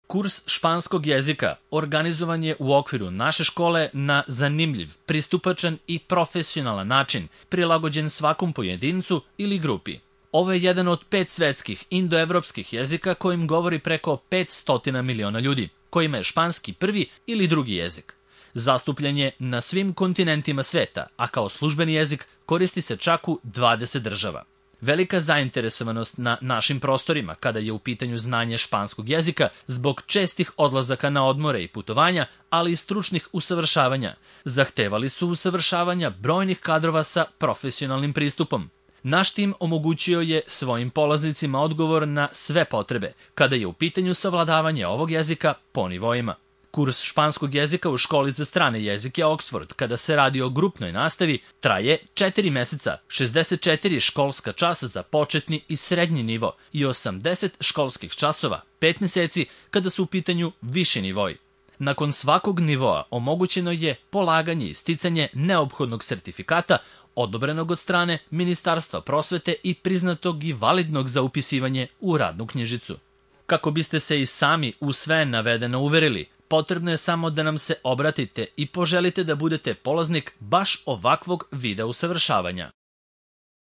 Kurs španskog jezika organizovan je u okviru naše škole na zanimljiv, pristupačan i profesionalan način, prilagođen svakom pojedincu ili grupi. Ovo je jedan od 5 svetskih indoevropskih jezika kojim govori preko 500 miliona ljudi, kojima je španski prvi ili drugi jezik. Zastupljen je na svim kontinentima sveta, a kao službeni jezik koristi se čak u 20 država. Velika zainteresovanost na našim prostorima kada je u pitanju znanje španskog jezika zbog čestih odlazaka na odmore i putovanja, ali i stručnih usavršavanja, zahtevali su usavršavanja brojnih kadrova sa profesionalnim pristupom. Naš tim omogućio je svojim polaznicima odgovor na sve potrebe kada je u pitanju savladavanje ovog jezika po nivoima. Kurs španskog jezika u školi za strane jezike Oxford, kada se radi o grupnoj nastavi, traje 4 meseca, 64 školska časa za početni i srednji nivo i 80 školskih časova, 5 meseci kada su u pitanju viši nivoi. Nakon svakog nivoa omogućeno je polaganje i sticanje neophodnog sertifikata odobrenog od strane Ministarstva prosvete i priznatog i validnog za upisivanje u radnu knjižicu. Kako biste se i sami u sve navedeno uverili, potrebno je samo da nam se obratite i poželite da budete polaznik baš ovakvog vida usavršavanja.